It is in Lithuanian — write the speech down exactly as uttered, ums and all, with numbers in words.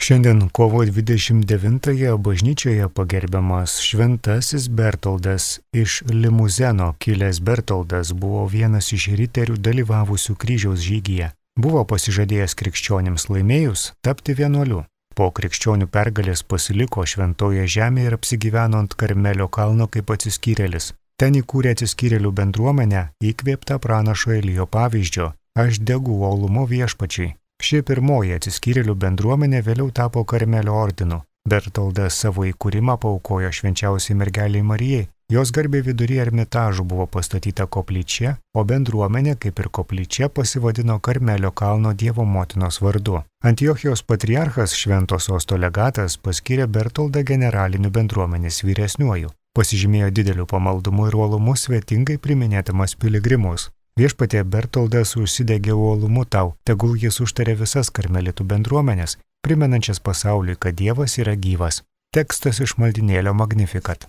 Šiandien kovo dvidešimt devintąją bažnyčioje pagerbiamas šventasis Bertoldas. Iš Limuzeno kilęs Bertoldas buvo vienas iš riterių dalyvavusių kryžiaus žygyje. Buvo pasižadėjęs krikščionims laimėjus tapti vienuoliu. Po krikščionių pergalės pasiliko šventoje žemėje ir apsigyveno ant Karmelio kalno kaip atsiskyrėlis. Ten įkūrė atsiskyrėlių bendruomenę, įkvėptą pranašo Elijo pavyzdžio: aš degu uolumu viešpačiai. Ši pirmoji atsiskyrėlių bendruomenė vėliau tapo Karmelio ordinu. Bertoldas savo įkūrimą paaukojo švenčiausiai mergeliai Marijai. Jos garbei vidury Ermitažų buvo pastatyta koplyčia, o bendruomenė, kaip ir koplyčia, pasivadino Karmelio kalno Dievo motinos vardu. Antiochijos patriarchas Švento Sosto legatas paskyrė Bertoldą generaliniu bendruomenės vyresniuoju. Pasižymėjo dideliu pamaldumu ir uolumu, svetingai priminėdamas piligrimus. Viešpatie, Bertoldas užsidegė uolumu tau, tegul jis užtarė visas karmelitų bendruomenės, primenančias pasauliui, kad Dievas yra gyvas. Tekstas iš maldynėlio Magnificat.